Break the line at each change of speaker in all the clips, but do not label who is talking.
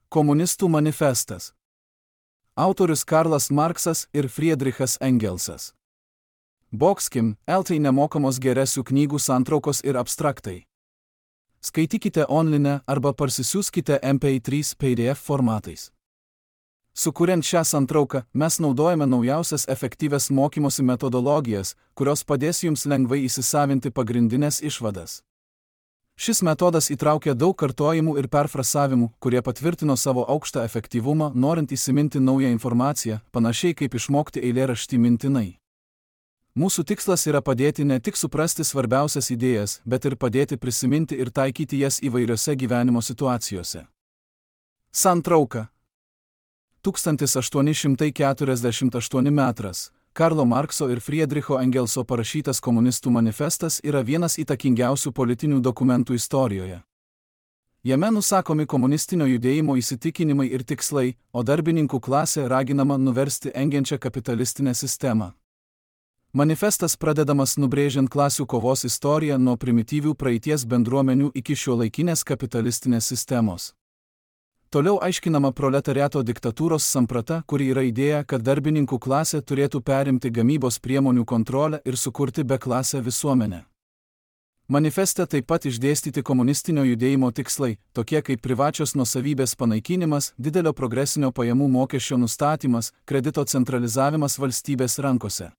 Komunistų manifestas. Autorius Karlas Marksas ir Friedrichas Engelsas. Boxkim, LT nemokamos geresių knygų santraukos ir abstraktai. Skaitykite online arba parsisiųskite MP3 PDF formatais. Sukuriant šią santrauką, mes naudojame naujausias efektyvias mokymosi metodologijas, kurios padės jums lengvai įsisavinti pagrindinės išvadas. Šis metodas įtraukia daug kartojimų ir perfrasavimų, kurie patvirtino savo aukštą efektyvumą, norint įsiminti naują informaciją, panašiai kaip išmokti eilėraštį mintinai. Mūsų tikslas yra padėti ne tik suprasti svarbiausias idėjas, bet ir padėti prisiminti ir taikyti jas įvairiose gyvenimo situacijose. Santrauka. 1848 metras. Karlo Markso ir Friedricho Engelso parašytas komunistų manifestas yra vienas įtakingiausių politinių dokumentų istorijoje. Jame nusakomi komunistinio judėjimo įsitikinimai ir tikslai, o darbininkų klasė raginama nuversti engiančią kapitalistinę sistemą. Manifestas pradedamas nubrėžiant klasių kovos istoriją nuo primityvių praeities bendruomenių iki šiuolaikinės kapitalistinės sistemos. Toliau aiškinama proletariato diktatūros samprata, kuri yra idėja, kad darbininkų klasė turėtų perimti gamybos priemonių kontrolę ir sukurti beklasę visuomenę. Manifeste taip pat išdėstyti komunistinio judėjimo tikslai, tokie kaip privačios nuosavybės panaikinimas, didelio progresinio pajamų mokesčio nustatymas, kredito centralizavimas valstybės rankose.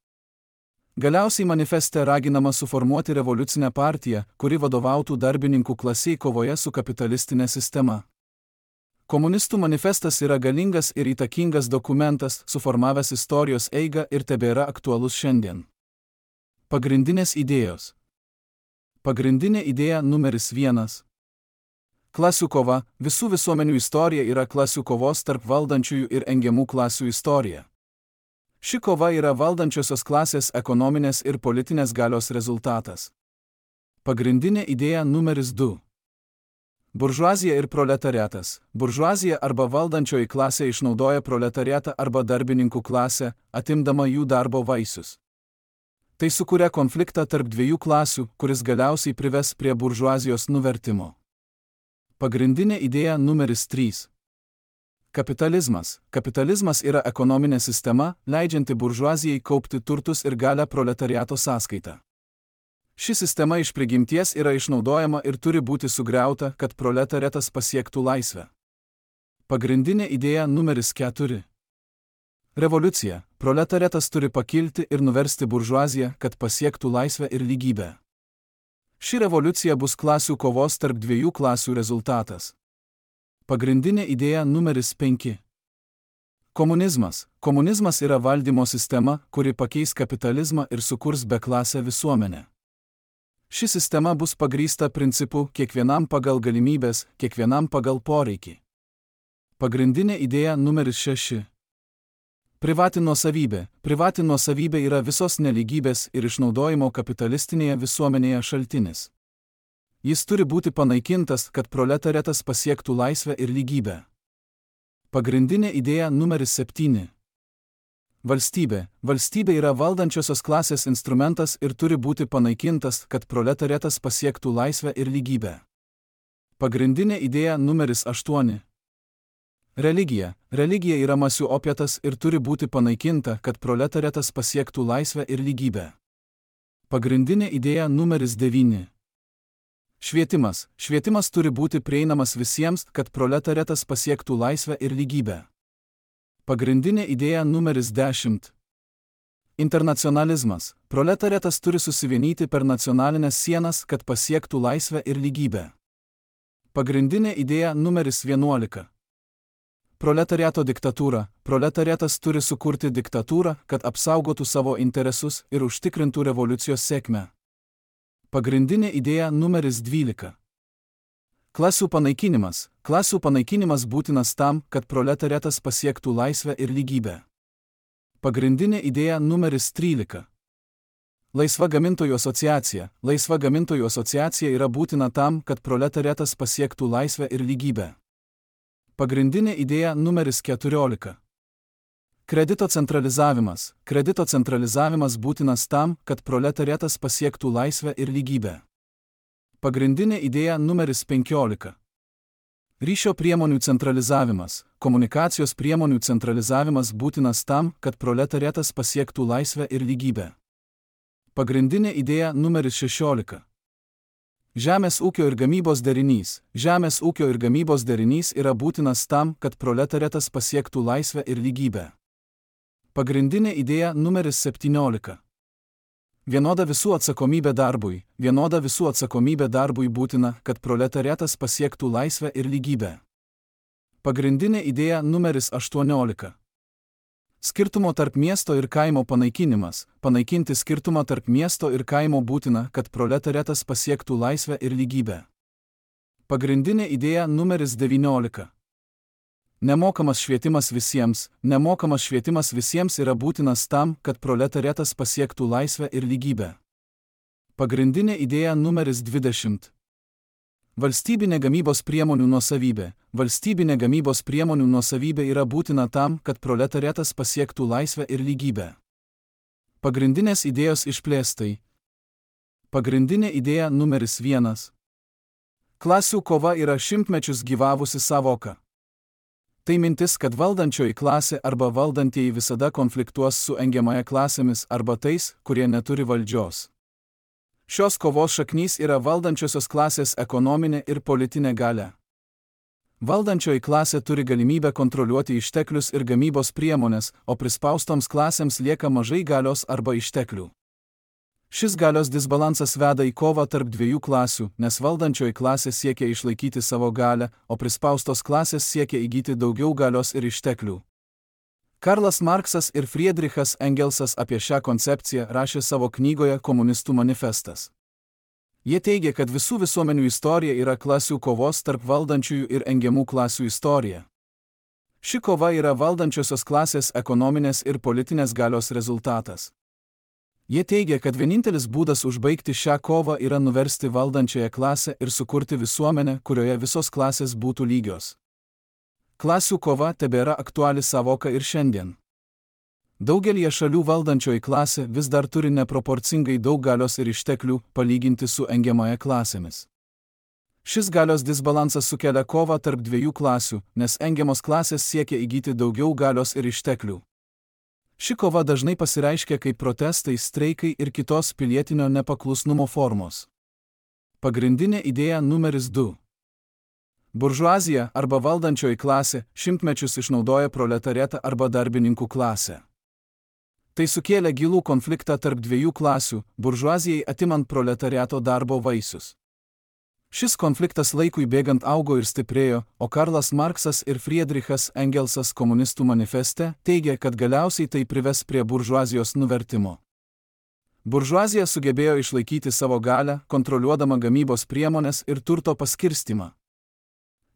Galiausiai manifeste raginama suformuoti revoliucinę partiją, kuri vadovautų darbininkų klasiai kovoje su kapitalistinė sistema. Komunistų manifestas yra galingas ir įtakingas dokumentas, suformavęs istorijos eigą ir tebėra aktualus šiandien. Pagrindinės idėjos. Pagrindinė idėja numeris 1. Klasių kova. Visų visuomenių istorija yra klasių kovos tarp valdančiųjų ir engiamų klasių istorija. Ši kova yra valdančiosios klasės ekonominės ir politinės galios rezultatas. Pagrindinė idėja numeris 2. Buržuazija ir proletariatas. Buržuazija arba valdančioji klasė išnaudoja proletariatą arba darbininkų klasę, atimdama jų darbo vaisius. Tai sukuria konfliktą tarp dviejų klasių, kuris galiausiai prives prie buržuazijos nuvertimo. Pagrindinė idėja numeris 3. Kapitalizmas. Kapitalizmas yra ekonominė sistema, leidžianti buržuazijai kaupti turtus ir galią proletariato sąskaitą. Ši sistema iš prigimties yra išnaudojama ir turi būti sugriauta, kad proletariatas pasiektų laisvę. Pagrindinė idėja numeris 4. Revoliucija. Proletariatas turi pakilti ir nuversti buržuaziją, kad pasiektų laisvę ir lygybę. Ši revoliucija bus klasių kovos tarp dviejų klasių rezultatas. Pagrindinė idėja numeris 5. Komunizmas. Komunizmas yra valdymo sistema, kuri pakeis kapitalizmą ir sukurs beklasę visuomenę. Ši sistema bus pagrįsta principu kiekvienam pagal galimybės, kiekvienam pagal poreikį. Pagrindinė idėja numeris 6. Privati nuosavybė. Privati nuosavybė yra visos nelygybės ir išnaudojimo kapitalistinėje visuomenėje šaltinis. Jis turi būti panaikintas, kad proletariatas pasiektų laisvę ir lygybę. Pagrindinė idėja numeris 7. Valstybė. Valstybė yra valdančiosios klasės instrumentas ir turi būti panaikintas, kad proletariatas pasiektų laisvę ir lygybę. Pagrindinė idėja numeris 8. Religija. Religija yra masių opietas ir turi būti panaikinta, kad proletariatas pasiektų laisvę ir lygybę. Pagrindinė idėja numeris 9. Švietimas. Švietimas turi būti prieinamas visiems, kad proletariatas pasiektų laisvę ir lygybę. Pagrindinė idėja numeris 10. Internacionalizmas. Proletariatas turi susivienyti per nacionalinės sienas, kad pasiektų laisvę ir lygybę. Pagrindinė idėja numeris 11. Proletariato diktatūra. Proletariatas turi sukurti diktatūrą, kad apsaugotų savo interesus ir užtikrintų revoliucijos sėkmę. Pagrindinė idėja numeris 12. Klasių panaikinimas. Klasių panaikinimas būtinas tam, kad proletariatas pasiektų laisvę ir lygybę. Pagrindinė idėja numeris 13. Laisva gamintojų asociacija. Laisva gamintojų asociacija yra būtina tam, kad proletariatas pasiektų laisvę ir lygybę. Pagrindinė idėja numeris 14. Kredito centralizavimas. Kredito centralizavimas būtinas tam, kad proletariatas pasiektų laisvę ir lygybę. Pagrindinė idėja numeris 15. Ryšio priemonių centralizavimas. Komunikacijos priemonių centralizavimas būtinas tam, kad proletariatas pasiektų laisvę ir lygybę. Pagrindinė idėja numeris 16. Žemės ūkio ir gamybos derinys. Žemės ūkio ir gamybos derinys yra būtinas tam, kad proletariatas pasiektų laisvę ir lygybę. Pagrindinė idėja numeris 17. Vienoda visų atsakomybė darbui. Vienoda visų atsakomybė darbui būtina, kad proletariatas pasiektų laisvę ir lygybę. Pagrindinė idėja numeris 18. Skirtumo tarp miesto ir kaimo panaikinimas. Panaikinti skirtumą tarp miesto ir kaimo būtina, kad proletariatas pasiektų laisvę ir lygybę. Pagrindinė idėja numeris 19. Nemokamas švietimas visiems. Nemokamas švietimas visiems yra būtinas tam, kad proletariatas pasiektų laisvę ir lygybę. Pagrindinė idėja numeris 20. Valstybinė gamybos priemonių nuosavybė. Valstybinė gamybos priemonių nuosavybė yra būtina tam, kad proletariatas pasiektų laisvę ir lygybę. Pagrindinės idėjos išplėstai. Pagrindinė idėja numeris 1. Klasių kova yra šimtmečius gyvavusi sąvoka. Tai mintis, kad valdančioji klasė arba valdantieji visada konfliktuos su engiamąja klasėmis arba tais, kurie neturi valdžios. Šios kovos šaknys yra valdančiosios klasės ekonominė ir politinė galia. Valdančioji klasė turi galimybę kontroliuoti išteklius ir gamybos priemonės, o prispaustoms klasėms lieka mažai galios arba išteklių. Šis galios disbalansas veda į kovą tarp dviejų klasių, nes valdančioji klasė siekia išlaikyti savo galią, o prispaustos klasės siekia įgyti daugiau galios ir išteklių. Karlas Marksas ir Friedrichas Engelsas apie šią koncepciją rašė savo knygoje Komunistų manifestas. Jie teigia, kad visų visuomenių istorija yra klasių kovos tarp valdančiųjų ir engiamų klasių istorija. Ši kova yra valdančiosios klasės ekonominės ir politinės galios rezultatas. Jie teigia, kad vienintelis būdas užbaigti šią kovą yra nuversti valdančiąją klasę ir sukurti visuomenę, kurioje visos klasės būtų lygios. Klasių kova tebėra aktuali sąvoka ir šiandien. Daugelie šalių valdančioji klasė vis dar turi neproporcingai daug galios ir išteklių, palyginti su engiamąja klasėmis. Šis galios disbalansas sukelia kovą tarp dviejų klasių, nes engiamos klasės siekia įgyti daugiau galios ir išteklių. Ši kova dažnai pasireiškia kaip protestai, streikai ir kitos pilietinio nepaklusnumo formos. Pagrindinė idėja numeris 2. Buržuazija arba valdančioji klasė šimtmečius išnaudoja proletariatą arba darbininkų klasę. Tai sukėlė gilų konfliktą tarp dviejų klasių, buržuazijai atimant proletariato darbo vaisius. Šis konfliktas laikui bėgant augo ir stiprėjo, o Karlas Marksas ir Friedrichas Engelsas Komunistų manifeste teigia, kad galiausiai tai prives prie buržuazijos nuvertimo. Buržuazija sugebėjo išlaikyti savo galią, kontroliuodama gamybos priemonės ir turto paskirstimą.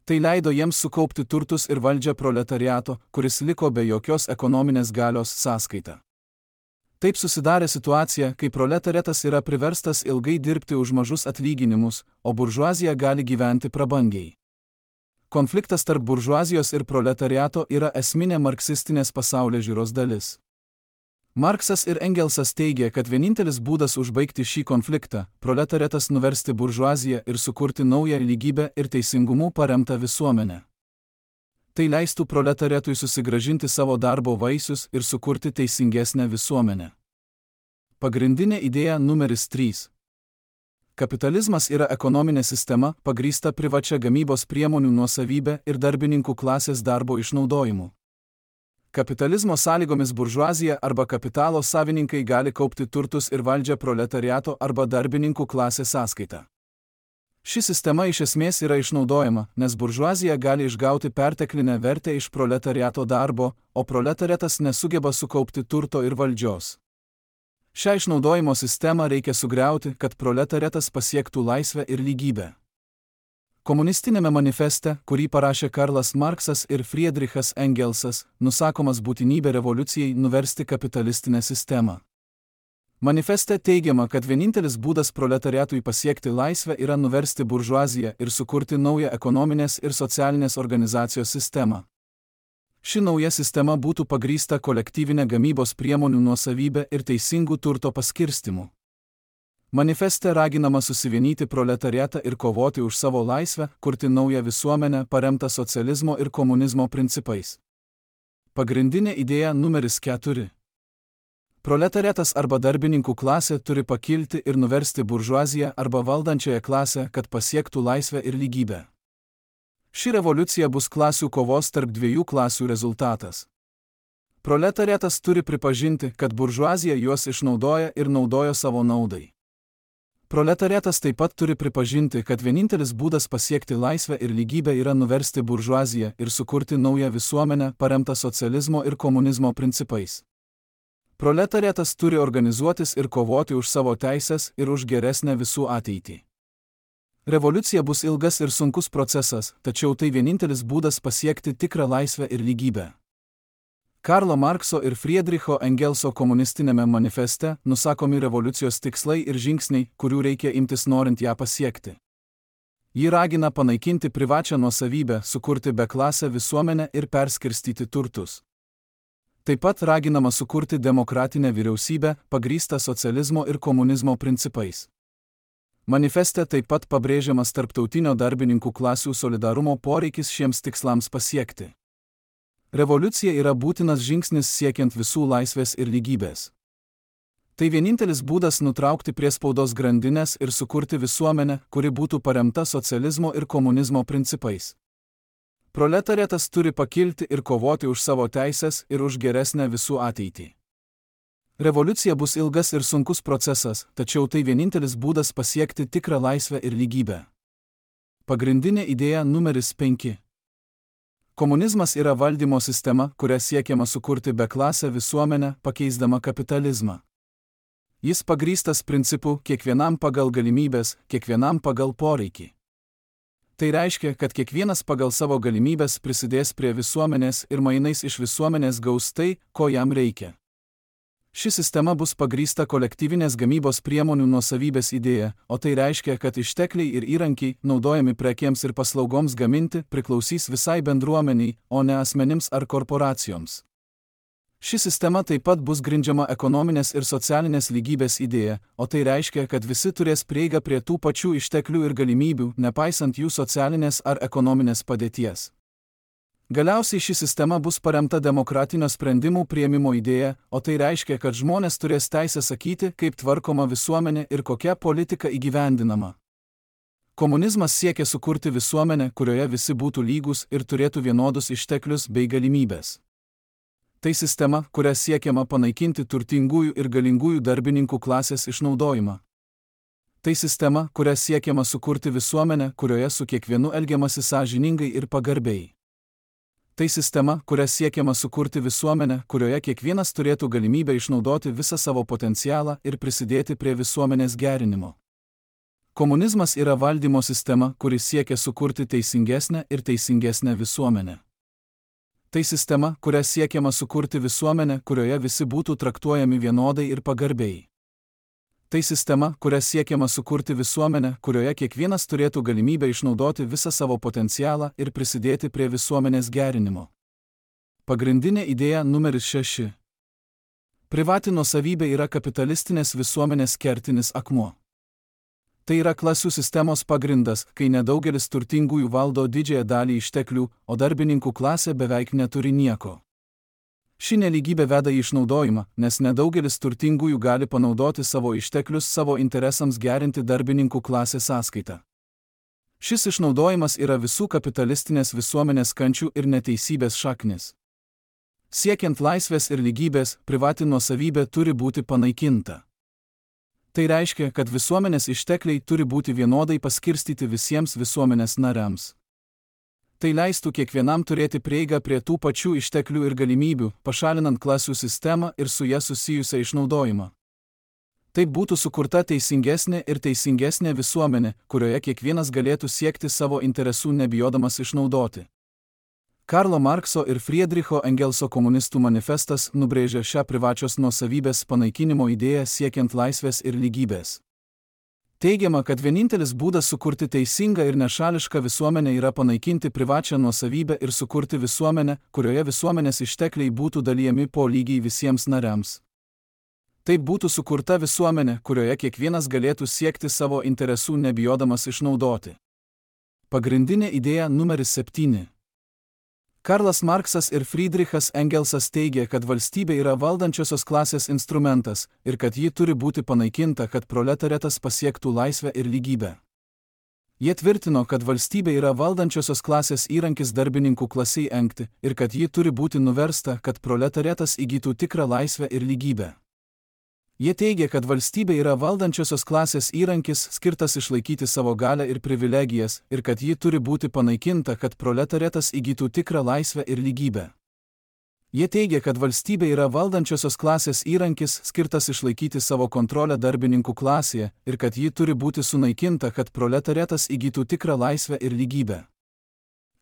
Tai leido jiems sukaupti turtus ir valdžią proletariato, kuris liko be jokios ekonominės galios sąskaita. Taip susidarė situacija, kai proletariatas yra priverstas ilgai dirbti už mažus atlyginimus, o buržuazija gali gyventi prabangiai. Konfliktas tarp buržuazijos ir proletariato yra esminė marksistinės pasaulėžiūros dalis. Marksas ir Engelsas teigia, kad vienintelis būdas užbaigti šį konfliktą – proletariatas nuversti buržuaziją ir sukurti naują lygybę ir teisingumu paremtą visuomenę. Tai leistų proletariatui susigrąžinti savo darbo vaisius ir sukurti teisingesnę visuomenę. Pagrindinė idėja numeris 3. Kapitalizmas yra ekonominė sistema, pagrįsta privačia gamybos priemonių nuosavybė ir darbininkų klasės darbo išnaudojimu. Kapitalizmo sąlygomis buržuazija arba kapitalo savininkai gali kaupti turtus ir valdžią proletariato arba darbininkų klasės sąskaita. Ši sistema iš esmės yra išnaudojama, nes buržuazija gali išgauti perteklinę vertę iš proletariato darbo, o proletariatas nesugeba sukaupti turto ir valdžios. Šią išnaudojimo sistemą reikia sugriauti, kad proletariatas pasiektų laisvę ir lygybę. Komunistinėme manifeste, kurį parašė Karlas Marksas ir Friedrichas Engelsas, nusakomas būtinybė revoliucijai nuversti kapitalistinę sistemą. Manifeste teigiama, kad vienintelis būdas proletariatui pasiekti laisvę yra nuversti buržuaziją ir sukurti naują ekonominės ir socialinės organizacijos sistemą. Ši nauja sistema būtų pagrįsta kolektyvinė gamybos priemonių nuosavybė ir teisingų turto paskirstimu. Manifeste raginama susivienyti proletariatą ir kovoti už savo laisvę, kurti naują visuomenę paremtą socializmo ir komunizmo principais. Pagrindinė idėja numeris 4. Proletariatas arba darbininkų klasė turi pakilti ir nuversti buržuaziją arba valdančiąją klasę, kad pasiektų laisvę ir lygybę. Ši revoliucija bus klasių kovos tarp dviejų klasių rezultatas. Proletariatas turi pripažinti, kad buržuazija juos išnaudoja ir naudojo savo naudai. Proletariatas taip pat turi pripažinti, kad vienintelis būdas pasiekti laisvę ir lygybę yra nuversti buržuaziją ir sukurti naują visuomenę paremtą socializmo ir komunizmo principais. Proletariatas turi organizuotis ir kovoti už savo teisės ir už geresnę visų ateitį. Revoliucija bus ilgas ir sunkus procesas, tačiau tai vienintelis būdas pasiekti tikrą laisvę ir lygybę. Karlo Markso ir Friedricho Engelso komunistinėme manifeste nusakomi revoliucijos tikslai ir žingsniai, kurių reikia imtis norint ją pasiekti. Ji ragina panaikinti privačią nuosavybę, sukurti beklasę visuomenę ir perskirstyti turtus. Taip pat raginama sukurti demokratinę vyriausybę, pagrįstą socializmo ir komunizmo principais. Manifeste taip pat pabrėžiamas tarptautinio darbininkų klasių solidarumo poreikis šiems tikslams pasiekti. Revoliucija yra būtinas žingsnis siekiant visų laisvės ir lygybės. Tai vienintelis būdas nutraukti priespaudos grandinės ir sukurti visuomenę, kuri būtų paremta socializmo ir komunizmo principais. Proletariatas turi pakilti ir kovoti už savo teisės ir už geresnę visų ateitį. Revoliucija bus ilgas ir sunkus procesas, tačiau tai vienintelis būdas pasiekti tikrą laisvę ir lygybę. Pagrindinė idėja numeris 5. Komunizmas yra valdymo sistema, kuria siekiama sukurti beklasę visuomenę, pakeisdama kapitalizmą. Jis pagrįstas principu kiekvienam pagal galimybės, kiekvienam pagal poreikį. Tai reiškia, kad kiekvienas pagal savo galimybės prisidės prie visuomenės ir mainais iš visuomenės gaus tai, ko jam reikia. Ši sistema bus pagrįsta kolektyvinės gamybos priemonių nuosavybės idėja, o tai reiškia, kad ištekliai ir įrankiai, naudojami prekėms ir paslaugoms gaminti, priklausys visai bendruomeniai, o ne asmenims ar korporacijoms. Ši sistema taip pat bus grindžiama ekonominės ir socialinės lygybės idėja, o tai reiškia, kad visi turės prieigą prie tų pačių išteklių ir galimybių, nepaisant jų socialinės ar ekonominės padėties. Galiausiai ši sistema bus paremta demokratinio sprendimų priėmimo idėja, o tai reiškia, kad žmonės turės teisę sakyti, kaip tvarkoma visuomenė ir kokia politika įgyvendinama. Komunizmas siekia sukurti visuomenę, kurioje visi būtų lygus ir turėtų vienodus išteklius bei galimybės. Tai sistema, kuria siekiama panaikinti turtingųjų ir galingųjų darbininkų klasės išnaudojimą. Tai sistema, kuria siekiama sukurti visuomenę, kurioje su kiekvienu elgiamasi sąžiningai ir pagarbiai. Tai sistema, kuria siekiama sukurti visuomenę, kurioje kiekvienas turėtų galimybę išnaudoti visą savo potencialą ir prisidėti prie visuomenės gerinimo. Komunizmas yra valdymo sistema, kuri siekia sukurti teisingesnę ir teisingesnę visuomenę. Tai sistema, kuria siekiama sukurti visuomenę, kurioje visi būtų traktuojami vienodai ir pagarbiai. Tai sistema, kuria siekiama sukurti visuomenę, kurioje kiekvienas turėtų galimybę išnaudoti visą savo potencialą ir prisidėti prie visuomenės gerinimo. Pagrindinė idėja numeris 6. Privati nuosavybė yra kapitalistinės visuomenės kertinis akmuo. Tai yra klasių sistemos pagrindas, kai nedaugelis turtingųjų valdo didžiąją dalį išteklių, o darbininkų klasė beveik neturi nieko. Ši nelygybė veda į išnaudojimą, nes nedaugelis turtingųjų gali panaudoti savo išteklius savo interesams gerinti darbininkų klasės sąskaitą. Šis išnaudojimas yra visų kapitalistinės visuomenės kančių ir neteisybės šaknis. Siekiant laisvės ir lygybės, privati nuosavybė turi būti panaikinta. Tai reiškia, kad visuomenės ištekliai turi būti vienodai paskirstyti visiems visuomenės nariams. Tai leistų kiekvienam turėti prieigą prie tų pačių išteklių ir galimybių, pašalinant klasių sistemą ir su ja susijusią išnaudojimą. Taip būtų sukurta teisingesnė ir teisingesnė visuomenė, kurioje kiekvienas galėtų siekti savo interesų nebijodamas išnaudoti. Karlo Markso ir Friedricho Engelso komunistų manifestas nubrėžia šią privačios nuosavybės panaikinimo idėją siekiant laisvės ir lygybės. Teigiama, kad vienintelis būdas sukurti teisingą ir nešališką visuomenę yra panaikinti privačią nuosavybę ir sukurti visuomenę, kurioje visuomenės ištekliai būtų dalijami po lygiai visiems nariams. Taip būtų sukurta visuomenė, kurioje kiekvienas galėtų siekti savo interesų nebijodamas išnaudoti. Pagrindinė idėja numeris 7. Karlas Marksas ir Friedrichas Engelsas teigė, kad valstybė yra valdančiosios klasės instrumentas ir kad ji turi būti panaikinta, kad proletariatas pasiektų laisvę ir lygybę. Jie tvirtino, kad valstybė yra valdančiosios klasės įrankis darbininkų klasiai engti ir kad ji turi būti nuversta, kad proletariatas įgytų tikrą laisvę ir lygybę. Jie teigia, kad valstybė yra valdančiosios klasės įrankis skirtas išlaikyti savo galią ir privilegijas ir kad ji turi būti panaikinta, kad proletariatas įgytų tikrą laisvę ir lygybę. Jie teigia, kad valstybė yra valdančiosios klasės įrankis skirtas išlaikyti savo kontrolę darbininkų klasėje ir kad ji turi būti sunaikinta, kad proletariatas įgytų tikrą laisvę ir lygybę.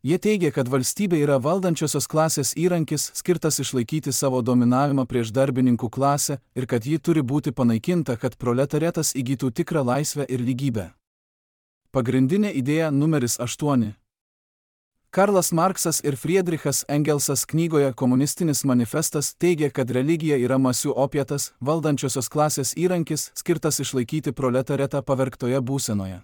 Jie teigia, kad valstybė yra valdančiosios klasės įrankis skirtas išlaikyti savo dominavimą prieš darbininkų klasę ir kad ji turi būti panaikinta, kad proletariatas įgytų tikrą laisvę ir lygybę. Pagrindinė idėja numeris 8. Karlas Marksas ir Friedrichas Engelsas knygoje Komunistinis manifestas teigia, kad religija yra masių opietas, valdančiosios klasės įrankis skirtas išlaikyti proletariatą pavergtoje būsenoje.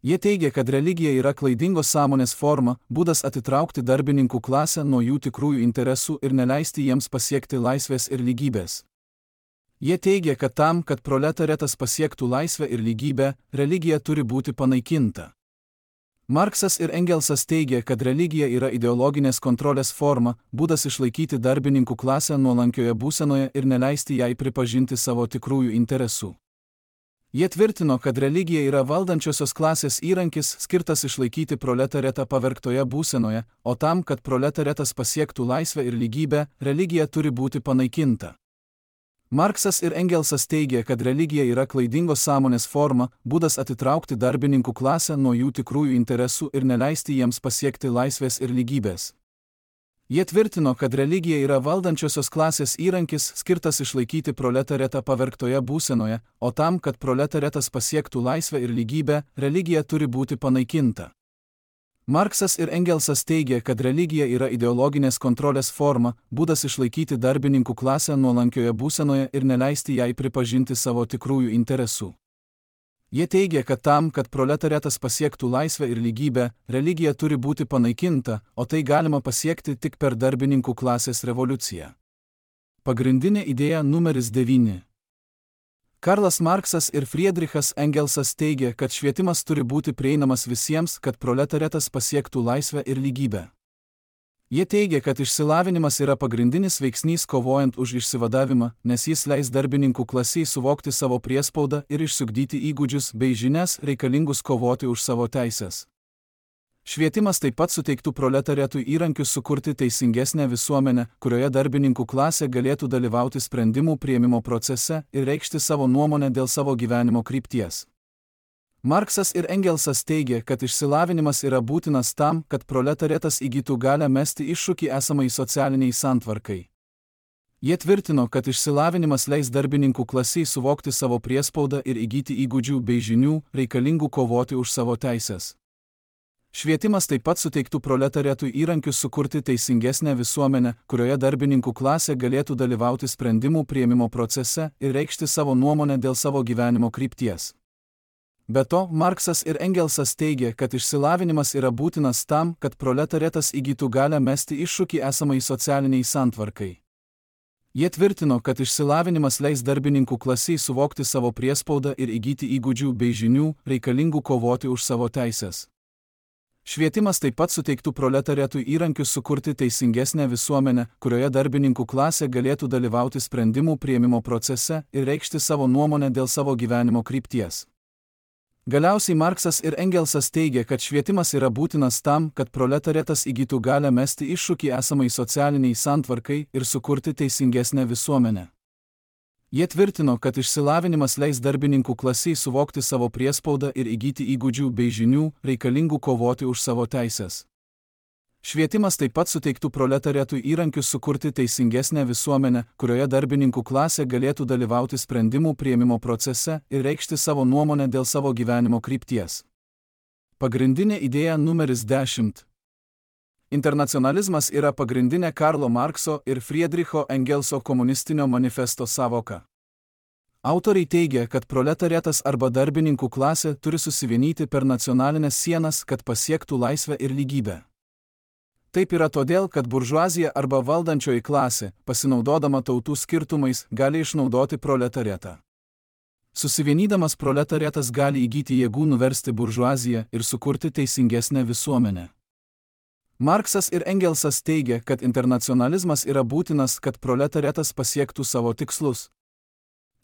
Jie teigia, kad religija yra klaidingos sąmonės forma, būdas atitraukti darbininkų klasę nuo jų tikrųjų interesų ir neleisti jiems pasiekti laisvės ir lygybės. Jie teigia, kad tam, kad proletariatas pasiektų laisvę ir lygybę, religija turi būti panaikinta. Marksas ir Engelsas teigia, kad religija yra ideologinės kontrolės forma, būdas išlaikyti darbininkų klasę nuolankioje būsenoje ir neleisti jai pripažinti savo tikrųjų interesų. Jie tvirtino, kad religija yra valdančiosios klasės įrankis skirtas išlaikyti proletariatą pavergtoje būsenoje, o tam, kad proletariatas pasiektų laisvę ir lygybę, religija turi būti panaikinta. Marksas ir Engelsas teigia, kad religija yra klaidingos sąmonės forma, būdas atitraukti darbininkų klasę nuo jų tikrųjų interesų ir neleisti jiems pasiekti laisvės ir lygybės. Jie tvirtino, kad religija yra valdančiosios klasės įrankis skirtas išlaikyti proletariatą pavergtoje būsenoje, o tam, kad proletariatas pasiektų laisvę ir lygybę, religija turi būti panaikinta. Marksas ir Engelsas teigia, kad religija yra ideologinės kontrolės forma, būdas išlaikyti darbininkų klasę nuolankioje būsenoje ir neleisti jai pripažinti savo tikrųjų interesų. Jie teigia, kad tam, kad proletariatas pasiektų laisvę ir lygybę, religija turi būti panaikinta, o tai galima pasiekti tik per darbininkų klasės revoliuciją. Pagrindinė idėja numeris 9. Karlas Marksas ir Friedrichas Engelsas teigia, kad švietimas turi būti prieinamas visiems, kad proletariatas pasiektų laisvę ir lygybę. Jie teigia, kad išsilavinimas yra pagrindinis veiksnys kovojant už išsivadavimą, nes jis leis darbininkų klasiai suvokti savo priespaudą ir išsiugdyti įgūdžius bei žinias reikalingus kovoti už savo teises. Švietimas taip pat suteiktų proletariatui įrankius sukurti teisingesnę visuomenę, kurioje darbininkų klasė galėtų dalyvauti sprendimų priėmimo procese ir reikšti savo nuomonę dėl savo gyvenimo krypties. Marksas ir Engelsas teigia, kad išsilavinimas yra būtinas tam, kad proletariatas įgytų galią mesti iššūkį esamai socialiniai santvarkai. Jie tvirtino, kad išsilavinimas leis darbininkų klasiai suvokti savo priespaudą ir įgyti įgūdžių bei žinių, reikalingų kovoti už savo teises. Švietimas taip pat suteiktų proletariatui įrankius sukurti teisingesnę visuomenę, kurioje darbininkų klasė galėtų dalyvauti sprendimų priėmimo procese ir reikšti savo nuomonę dėl savo gyvenimo krypties. Be to, Marksas ir Engelsas teigia, kad išsilavinimas yra būtinas tam, kad proletariatas įgytų galią mesti iššūkį esamai socialiniai santvarkai. Jie tvirtino, kad išsilavinimas leis darbininkų klasiai suvokti savo priespaudą ir įgyti įgūdžių bei žinių, reikalingų kovoti už savo teises. Švietimas taip pat suteiktų proletariatui įrankius sukurti teisingesnę visuomenę, kurioje darbininkų klasė galėtų dalyvauti sprendimų priėmimo procese ir reikšti savo nuomonę dėl savo gyvenimo krypties. Galiausiai Marksas ir Engelsas teigia, kad švietimas yra būtinas tam, kad proletariatas įgytų galią mesti iššūkį esamai socialiniai santvarkai ir sukurti teisingesnę visuomenę. Jie tvirtino, kad išsilavinimas leis darbininkų klasiai suvokti savo priespaudą ir įgyti įgūdžių bei žinių, reikalingų kovoti už savo teises. Švietimas taip pat suteiktų proletariatui įrankius sukurti teisingesnę visuomenę, kurioje darbininkų klasė galėtų dalyvauti sprendimų priėmimo procese ir reikšti savo nuomonę dėl savo gyvenimo krypties. Pagrindinė idėja numeris 10. Internacionalizmas yra pagrindinė Karlo Markso ir Friedricho Engelso komunistinio manifesto sąvoka. Autoriai teigia, kad proletariatas arba darbininkų klasė turi susivienyti per nacionalinės sienas, kad pasiektų laisvę ir lygybę. Taip yra todėl, kad buržuazija arba valdančioji klasė, pasinaudodama tautų skirtumais, gali išnaudoti proletariatą. Susivienydamas proletariatas gali įgyti jėgų nuversti buržuaziją ir sukurti teisingesnę visuomenę. Marksas ir Engelsas teigia, kad internacionalizmas yra būtinas, kad proletariatas pasiektų savo tikslus.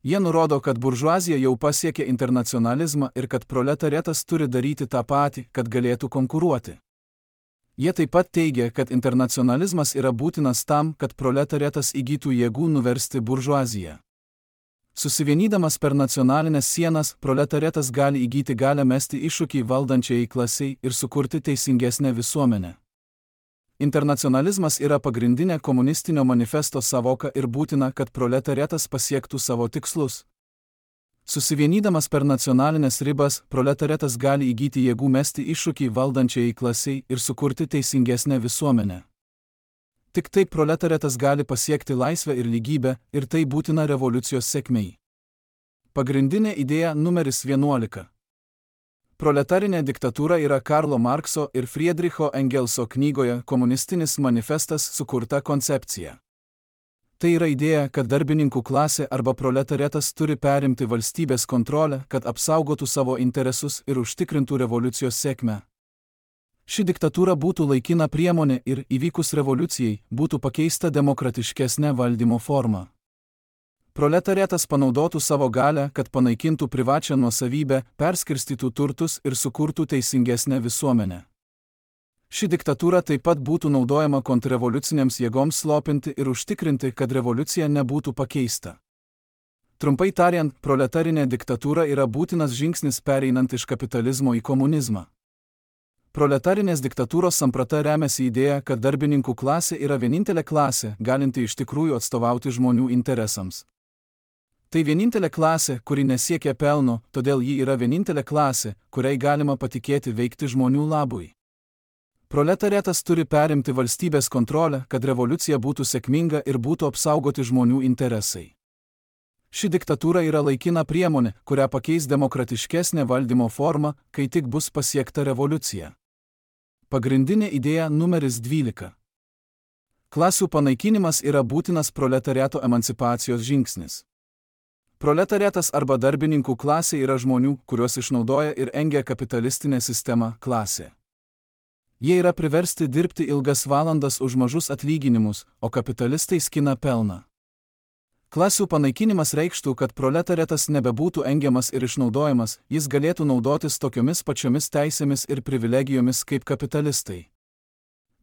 Jie nurodo, kad buržuazija jau pasiekė internacionalizmą ir kad proletariatas turi daryti tą patį, kad galėtų konkuruoti. Jie taip pat teigia, kad internacionalizmas yra būtinas tam, kad proletariatas įgytų jėgų nuversti buržuaziją. Susivienydamas per nacionalinės sienas, proletariatas gali įgyti galią mesti iššūkį valdančiai klasiai ir sukurti teisingesnę visuomenę. Internacionalizmas yra pagrindinė komunistinio manifesto savoka ir būtina, kad proletariatas pasiektų savo tikslus. Susivienydamas per nacionalinės ribas, proletariatas gali įgyti jėgų mesti iššūkį valdančiai klasiai ir sukurti teisingesnę visuomenę. Tik taip proletariatas gali pasiekti laisvę ir lygybę, ir tai būtina revoliucijos sėkmei. Pagrindinė idėja numeris 11. Proletarinė diktatūra yra Karlo Markso ir Friedricho Engelso knygoje Komunistinis manifestas sukurta koncepcija. Tai yra idėja, kad darbininkų klasė arba proletariatas turi perimti valstybės kontrolę, kad apsaugotų savo interesus ir užtikrintų revoliucijos sėkmę. Ši diktatūra būtų laikina priemonė ir, įvykus revoliucijai, būtų pakeista demokratiškesnė valdymo forma. Proletariatas panaudotų savo galią, kad panaikintų privačią nuosavybę, perskirstytų turtus ir sukurtų teisingesnę visuomenę. Ši diktatūra taip pat būtų naudojama kontrrevoliucinėms jėgoms slopinti ir užtikrinti, kad revoliucija nebūtų pakeista. Trumpai tariant, proletarinė diktatūra yra būtinas žingsnis pereinant iš kapitalizmo į komunizmą. Proletarinės diktatūros samprata remiasi idėja, kad darbininkų klasė yra vienintelė klasė, galinti iš tikrųjų atstovauti žmonių interesams. Tai vienintelė klasė, kuri nesiekia pelno, todėl ji yra vienintelė klasė, kuriai galima patikėti veikti žmonių labui. Proletariatas turi perimti valstybės kontrolę, kad revoliucija būtų sėkminga ir būtų apsaugoti žmonių interesai. Ši diktatūra yra laikina priemonė, kurią pakeis demokratiškesnė valdymo forma, kai tik bus pasiekta revoliucija. Pagrindinė idėja numeris 12. Klasių panaikinimas yra būtinas proletariato emancipacijos žingsnis. Proletariatas arba darbininkų klasė yra žmonių, kuriuos išnaudoja ir engia kapitalistinė sistema klasė. Jie yra priversti dirbti ilgas valandas už mažus atlyginimus, o kapitalistai skina pelną. Klasių panaikinimas reikštų, kad proletariatas nebebūtų engiamas ir išnaudojamas, jis galėtų naudotis tokiomis pačiomis teisėmis ir privilegijomis kaip kapitalistai.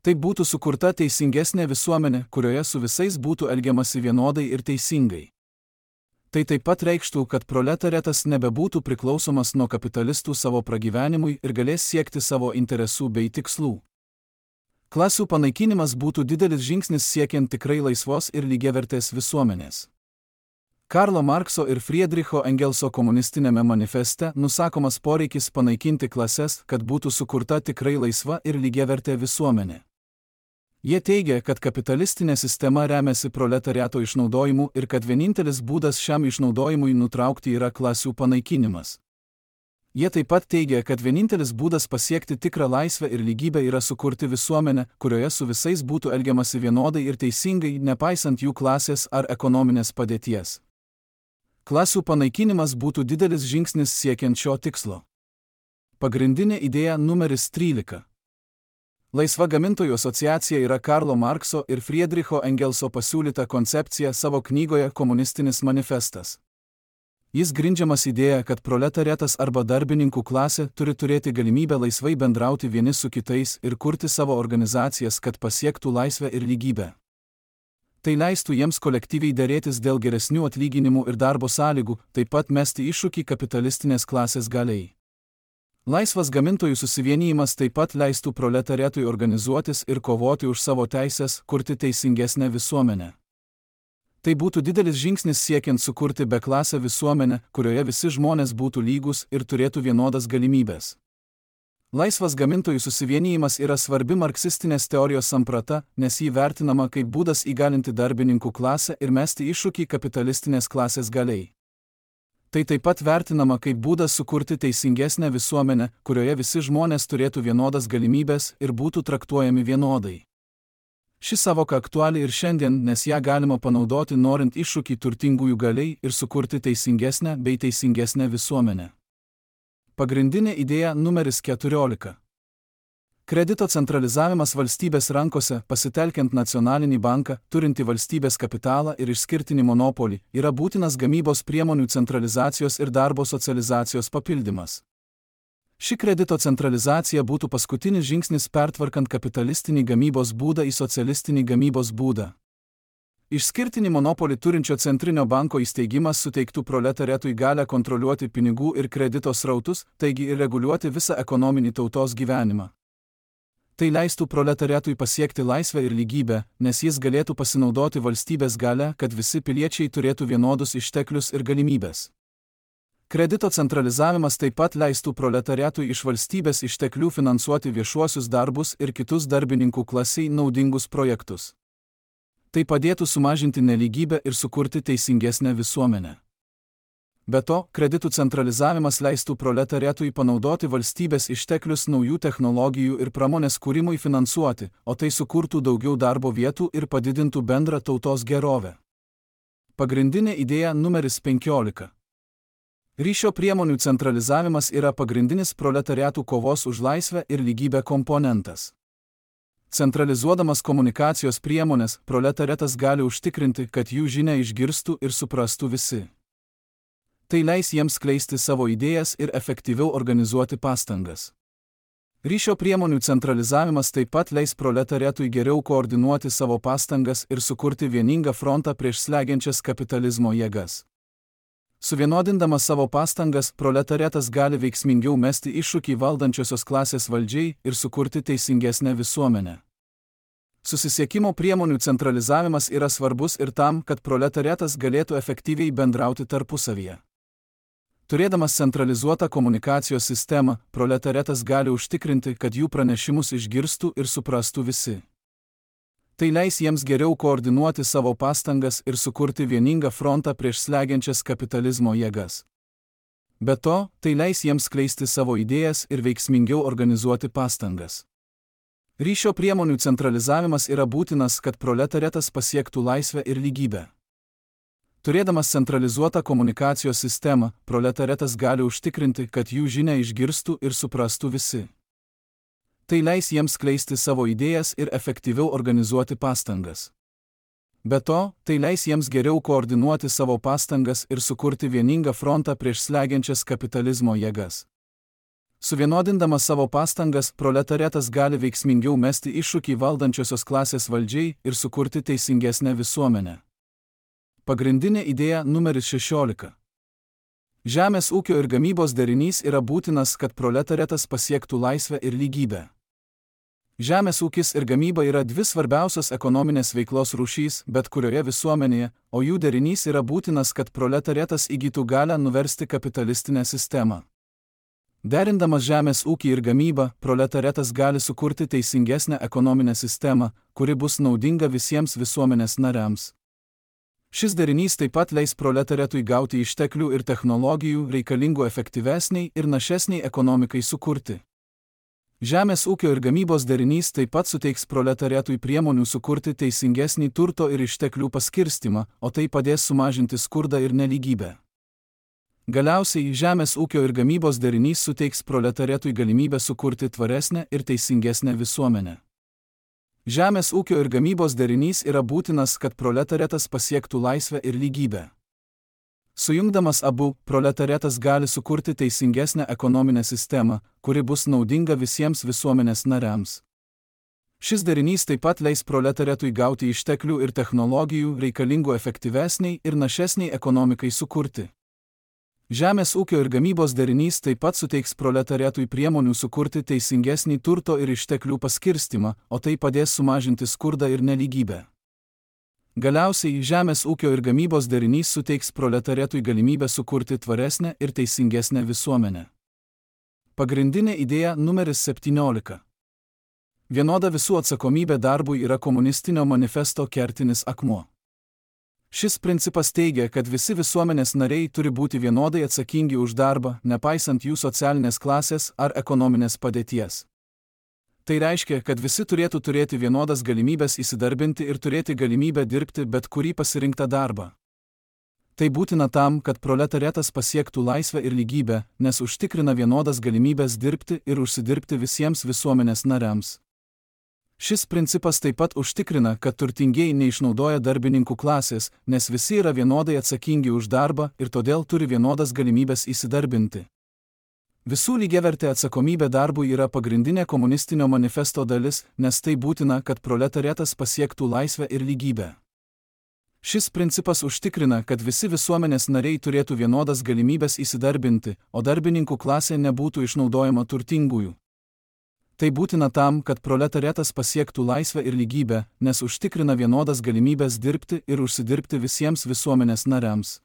Tai būtų sukurta teisingesnė visuomenė, kurioje su visais būtų elgiamasi vienodai ir teisingai. Tai taip pat reikštų, kad proletariatas nebebūtų priklausomas nuo kapitalistų savo pragyvenimui ir galės siekti savo interesų bei tikslų. Klasių panaikinimas būtų didelis žingsnis siekiant tikrai laisvos ir lygiavertės visuomenės. Karlo Markso ir Friedricho Engelso komunistinėme manifeste nusakomas poreikis panaikinti klases, kad būtų sukurta tikrai laisva ir lygiavertė visuomenė. Jie teigia, kad kapitalistinė sistema remiasi proletariato išnaudojimu ir kad vienintelis būdas šiam išnaudojimui nutraukti yra klasių panaikinimas. Jie taip pat teigia, kad vienintelis būdas pasiekti tikrą laisvę ir lygybę yra sukurti visuomenę, kurioje su visais būtų elgiamasi vienodai ir teisingai, nepaisant jų klasės ar ekonominės padėties. Klasių panaikinimas būtų didelis žingsnis siekiant šio tikslo. Pagrindinė idėja numeris 13. Laisva gamintojų asociacija yra Karlo Markso ir Friedricho Engelso pasiūlyta koncepcija savo knygoje Komunistinis manifestas. Jis grindžiamas idėja, kad proletariatas arba darbininkų klasė turi turėti galimybę laisvai bendrauti vieni su kitais ir kurti savo organizacijas, kad pasiektų laisvę ir lygybę. Tai leistų jiems kolektyviai derėtis dėl geresnių atlyginimų ir darbo sąlygų, taip pat mesti iššūkį kapitalistinės klasės galiai. Laisvas gamintojų susivienijimas taip pat leistų proletariatui organizuotis ir kovoti už savo teisės, kurti teisingesnę visuomenę. Tai būtų didelis žingsnis siekiant sukurti beklasę visuomenę, kurioje visi žmonės būtų lygus ir turėtų vienodas galimybės. Laisvas gamintojų susivienijimas yra svarbi marksistinės teorijos samprata, nes jį vertinama kaip būdas įgalinti darbininkų klasę ir mesti iššūkį kapitalistinės klasės galiai. Tai taip pat vertinama kaip būdas sukurti teisingesnę visuomenę, kurioje visi žmonės turėtų vienodas galimybės ir būtų traktuojami vienodai. Ši savoka aktuali ir šiandien, nes ją galima panaudoti norint iššūkį turtingųjų galiai ir sukurti teisingesnę bei teisingesnę visuomenę. Pagrindinė idėja numeris 14. Kredito centralizavimas valstybės rankose, pasitelkiant nacionalinį banką, turintį valstybės kapitalą ir išskirtinį monopolį, yra būtinas gamybos priemonių centralizacijos ir darbo socializacijos papildymas. Ši kredito centralizacija būtų paskutinis žingsnis pertvarkant kapitalistinį gamybos būdą į socialistinį gamybos būdą. Išskirtinį monopolį turinčio centrinio banko įsteigimas suteiktų proletariatui galią kontroliuoti pinigų ir kredito srautus, taigi ir reguliuoti visą ekonominį tautos gyvenimą. Tai leistų proletariatui pasiekti laisvę ir lygybę, nes jis galėtų pasinaudoti valstybės galią, kad visi piliečiai turėtų vienodus išteklius ir galimybės. Kredito centralizavimas taip pat leistų proletariatui iš valstybės išteklių finansuoti viešuosius darbus ir kitus darbininkų klasiai naudingus projektus. Tai padėtų sumažinti nelygybę ir sukurti teisingesnę visuomenę. Be to, kreditų centralizavimas leistų proletariatui panaudoti valstybės išteklius naujų technologijų ir pramonės kūrimui finansuoti, o tai sukurtų daugiau darbo vietų ir padidintų bendrą tautos gerovę. Pagrindinė idėja numeris 15. Ryšio priemonių centralizavimas yra pagrindinis proletariatų kovos už laisvę ir lygybę komponentas. Centralizuodamas komunikacijos priemonės, proletariatas gali užtikrinti, kad jų žinią išgirstų ir suprastų visi. Tai leis jiems skleisti savo idėjas ir efektyviau organizuoti pastangas. Ryšio priemonių centralizavimas taip pat leis proletariatui geriau koordinuoti savo pastangas ir sukurti vieningą frontą prieš slegiančias kapitalizmo jėgas. Suvienodindamas savo pastangas, proletariatas gali veiksmingiau mesti iššūkį valdančiosios klasės valdžiai ir sukurti teisingesnę visuomenę. Susisiekimo priemonių centralizavimas yra svarbus ir tam, kad proletariatas galėtų efektyviai bendrauti tarpusavyje. Turėdamas centralizuotą komunikacijos sistemą, proletariatas gali užtikrinti, kad jų pranešimus išgirstų ir suprastų visi. Tai leis jiems geriau koordinuoti savo pastangas ir sukurti vieningą frontą prieš slegiančias kapitalizmo jėgas. Be to, tai leis jiems skleisti savo idėjas ir veiksmingiau organizuoti pastangas. Ryšio priemonių centralizavimas yra būtinas, kad proletariatas pasiektų laisvę ir lygybę. Turėdamas centralizuotą komunikacijos sistemą, proletariatas gali užtikrinti, kad jų žinią išgirstų ir suprastų visi. Tai leis jiems skleisti savo idėjas ir efektyviau organizuoti pastangas. Be to, tai leis jiems geriau koordinuoti savo pastangas ir sukurti vieningą frontą prieš slegiančias kapitalizmo jėgas. Suvienodindamas savo pastangas, proletariatas gali veiksmingiau mesti iššūkį valdančiosios klasės valdžiai ir sukurti teisingesnę visuomenę. Pagrindinė idėja numeris 16. Žemės ūkio ir gamybos derinys yra būtinas, kad proletariatas pasiektų laisvę ir lygybę. Žemės ūkis ir gamyba yra dvi svarbiausios ekonominės veiklos rūšys, bet kurioje visuomenėje, o jų derinys yra būtinas, kad proletariatas įgytų galią nuversti kapitalistinę sistemą. Derindamas žemės ūkį ir gamybą, proletariatas gali sukurti teisingesnę ekonominę sistemą, kuri bus naudinga visiems visuomenės nariams. Šis derinys taip pat leis proletariatui gauti išteklių ir technologijų reikalingų efektyvesniai ir našesniai ekonomikai sukurti. Žemės ūkio ir gamybos derinys taip pat suteiks proletariatui priemonių sukurti teisingesnį turto ir išteklių paskirstimą, o tai padės sumažinti skurdą ir nelygybę. Galiausiai, žemės ūkio ir gamybos derinys suteiks proletariatui galimybę sukurti tvaresnę ir teisingesnę visuomenę. Žemės ūkio ir gamybos derinys yra būtinas, kad proletariatas pasiektų laisvę ir lygybę. Sujungdamas abu, proletariatas gali sukurti teisingesnę ekonominę sistemą, kuri bus naudinga visiems visuomenės nariams. Šis derinys taip pat leis proletariatui gauti išteklių ir technologijų reikalingų efektyvesniai ir našesniai ekonomikai sukurti. Žemės ūkio ir gamybos derinys taip pat suteiks proletariatui priemonių sukurti teisingesnį turto ir išteklių paskirstimą, o tai padės sumažinti skurdą ir nelygybę. Galiausiai, žemės ūkio ir gamybos derinys suteiks proletariatui galimybę sukurti tvaresnę ir teisingesnę visuomenę. Pagrindinė idėja numeris 17. Vienoda visų atsakomybė darbui yra komunistinio manifesto kertinis akmuo. Šis principas teigia, kad visi visuomenės nariai turi būti vienodai atsakingi už darbą, nepaisant jų socialinės klasės ar ekonominės padėties. Tai reiškia, kad visi turėtų turėti vienodas galimybės įsidarbinti ir turėti galimybę dirbti bet kurį pasirinktą darbą. Tai būtina tam, kad proletariatas pasiektų laisvę ir lygybę, nes užtikrina vienodas galimybės dirbti ir užsidirbti visiems visuomenės nariams. Šis principas taip pat užtikrina, kad turtingieji neišnaudoja darbininkų klasės, nes visi yra vienodai atsakingi už darbą ir todėl turi vienodas galimybės įsidarbinti. Visų lygiavertė atsakomybė darbui yra pagrindinė komunistinio manifesto dalis, nes tai būtina, kad proletariatas pasiektų laisvę ir lygybę. Šis principas užtikrina, kad visi visuomenės nariai turėtų vienodas galimybės įsidarbinti, o darbininkų klasė nebūtų išnaudojama turtingųjų. Tai būtina tam, kad proletariatas pasiektų laisvę ir lygybę, nes užtikrina vienodas galimybės dirbti ir užsidirbti visiems visuomenės nariams.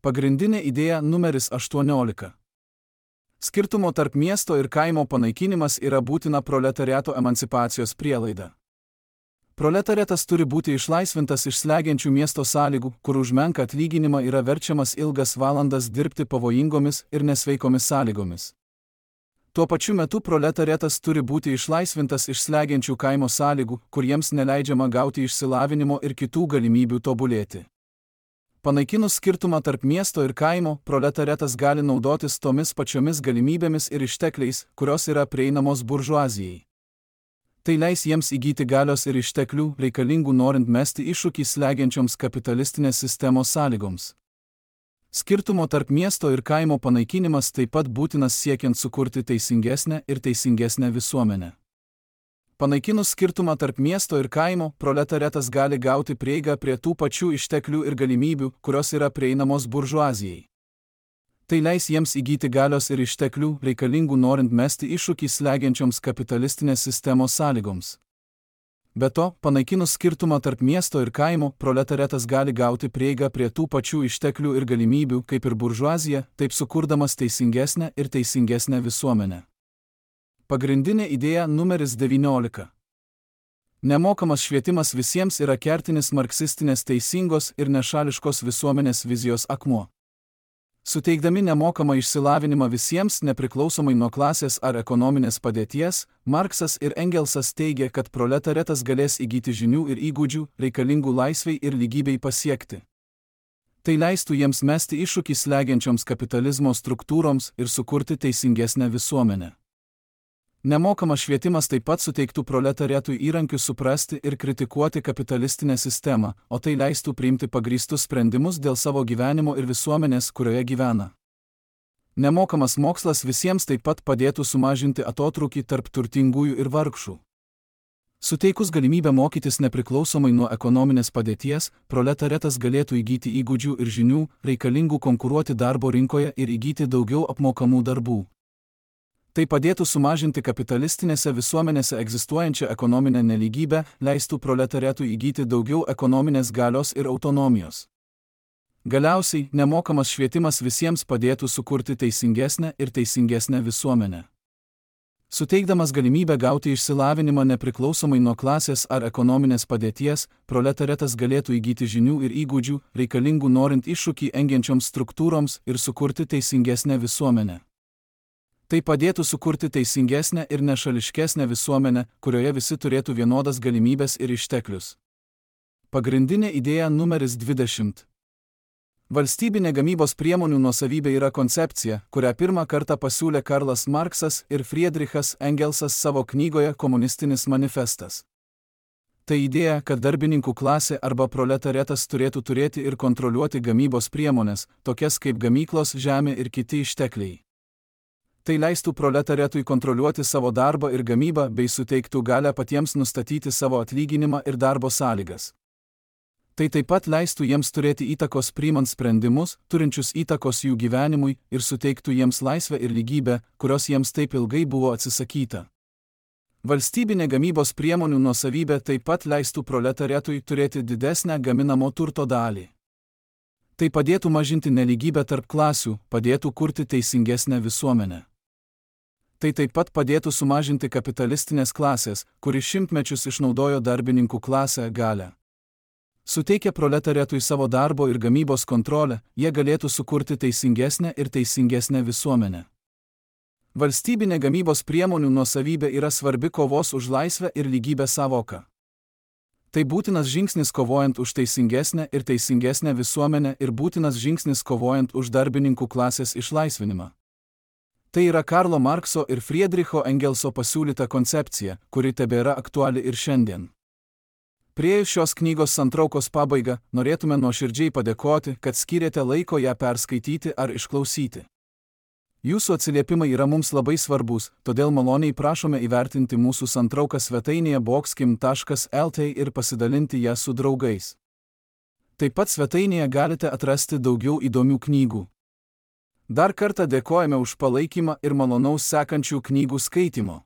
Pagrindinė idėja numeris 18. Skirtumo tarp miesto ir kaimo panaikinimas yra būtina proletariato emancipacijos prielaida. Proletariatas turi būti išlaisvintas iš slegiančių miesto sąlygų, kur už menką atlyginimą yra verčiamas ilgas valandas dirbti pavojingomis ir nesveikomis sąlygomis. Tuo pačiu metu proletariatas turi būti išlaisvintas iš slegiančių kaimo sąlygų, kur jiems neleidžiama gauti išsilavinimo ir kitų galimybių tobulėti. Panaikinus skirtumą tarp miesto ir kaimo, proletariatas gali naudotis tomis pačiomis galimybėmis ir ištekliais, kurios yra prieinamos buržuazijai. Tai leis jiems įgyti galios ir išteklių, reikalingų norint mesti iššūkį slegiančioms kapitalistinės sistemos sąlygoms. Skirtumo tarp miesto ir kaimo panaikinimas taip pat būtinas siekiant sukurti teisingesnę ir teisingesnę visuomenę. Panaikinus skirtumą tarp miesto ir kaimo, proletariatas gali gauti prieigą prie tų pačių išteklių ir galimybių, kurios yra prieinamos buržuazijai. Tai leis jiems įgyti galios ir išteklių, reikalingų norint mesti iššūkį slegiančioms kapitalistinės sistemos sąlygoms. Be to, panaikinus skirtumą tarp miesto ir kaimo, proletariatas gali gauti prieigą prie tų pačių išteklių ir galimybių, kaip ir buržuazija, taip sukurdamas teisingesnę ir teisingesnę visuomenę. Pagrindinė idėja numeris 19. Nemokamas švietimas visiems yra kertinis marksistinės teisingos ir nešališkos visuomenės vizijos akmuo. Suteikdami nemokamą išsilavinimą visiems, nepriklausomai nuo klasės ar ekonominės padėties, Marksas ir Engelsas teigia, kad proletariatas galės įgyti žinių ir įgūdžių, reikalingų laisvei ir lygybei pasiekti. Tai leistų jiems mesti iššūkį slegiančioms kapitalizmo struktūroms ir sukurti teisingesnę visuomenę. Nemokamas švietimas taip pat suteiktų proletariatui įrankius suprasti ir kritikuoti kapitalistinę sistemą, o tai leistų priimti pagrįstus sprendimus dėl savo gyvenimo ir visuomenės, kurioje gyvena. Nemokamas mokslas visiems taip pat padėtų sumažinti atotrūkį tarp turtingųjų ir vargšų. Suteikus galimybę mokytis nepriklausomai nuo ekonominės padėties, proletariatas galėtų įgyti įgūdžių ir žinių, reikalingų konkuruoti darbo rinkoje ir įgyti daugiau apmokamų darbų. Tai padėtų sumažinti kapitalistinėse visuomenėse egzistuojančią ekonominę nelygybę, leistų proletariatui įgyti daugiau ekonominės galios ir autonomijos. Galiausiai, nemokamas švietimas visiems padėtų sukurti teisingesnę ir teisingesnę visuomenę. Suteikdamas galimybę gauti išsilavinimą nepriklausomai nuo klasės ar ekonominės padėties, proletariatas galėtų įgyti žinių ir įgūdžių, reikalingų norint iššūkį engiančioms struktūroms ir sukurti teisingesnę visuomenę. Tai padėtų sukurti teisingesnę ir nešališkesnę visuomenę, kurioje visi turėtų vienodas galimybės ir išteklius. Pagrindinė idėja numeris 20. Valstybinė gamybos priemonių nuosavybė yra koncepcija, kurią pirmą kartą pasiūlė Karlas Marksas ir Friedrichas Engelsas savo knygoje Komunistinis manifestas. Tai idėja, kad darbininkų klasė arba proletariatas turėtų turėti ir kontroliuoti gamybos priemonės, tokias kaip gamyklos, žemė ir kiti ištekliai. Tai leistų proletariatui kontroliuoti savo darbą ir gamybą bei suteiktų galią patiems nustatyti savo atlyginimą ir darbo sąlygas. Tai taip pat leistų jiems turėti įtakos priimant sprendimus, turinčius įtakos jų gyvenimui ir suteiktų jiems laisvę ir lygybę, kurios jiems taip ilgai buvo atsisakyta. Valstybinė gamybos priemonių nuosavybė taip pat leistų proletariatui turėti didesnę gaminamo turto dalį. Tai padėtų mažinti nelygybę tarp klasių, padėtų kurti teisingesnę visuomenę. Tai taip pat padėtų sumažinti kapitalistinės klasės, kuri šimtmečius išnaudojo darbininkų klasę galią. Suteikę proletariatui savo darbo ir gamybos kontrolę, jie galėtų sukurti teisingesnę ir teisingesnę visuomenę. Valstybinė gamybos priemonių nuosavybė yra svarbi kovos už laisvę ir lygybę sąvoka. Tai būtinas žingsnis kovojant už teisingesnę ir teisingesnę visuomenę ir būtinas žingsnis kovojant už darbininkų klasės išlaisvinimą. Tai yra Karlo Markso ir Friedricho Engelso pasiūlyta koncepcija, kuri tebėra aktuali ir šiandien. Priėjus šios knygos santraukos pabaigą, norėtume nuoširdžiai padėkoti, kad skyrėte laiko ją perskaityti ar išklausyti. Jūsų atsiliepimai yra mums labai svarbus, todėl maloniai prašome įvertinti mūsų santrauką svetainėje boxkim.lt ir pasidalinti ją su draugais. Taip pat svetainėje galite atrasti daugiau įdomių knygų. Dar kartą dėkojame už palaikymą ir malonaus sekančių knygų skaitymo.